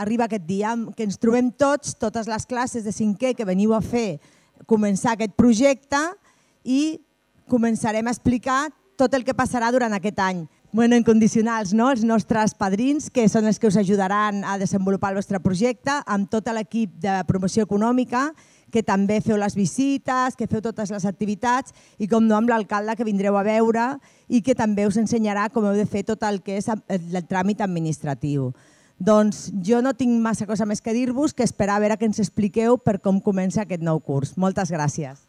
arriba aquest dia, que ens trobem tots, totes les classes de 5è que veniu a fer, començar aquest projecte i començarem a explicar tot el que passarà durant aquest any. Bueno, incondicionals, no? Els nostres padrins, que són els que us ajudaran a desenvolupar el vostre projecte, amb tot l'equip de promoció econòmica, que també feu les visites, que feu totes les activitats, i com no amb l'alcalde que vindreu a veure i que també us ensenyarà com heu de fer tot el que és el tràmit administratiu. Doncs jo no tinc massa cosa més que dir-vos que esperar a veure que ens expliqueu per com comença aquest nou curs. Moltes gràcies.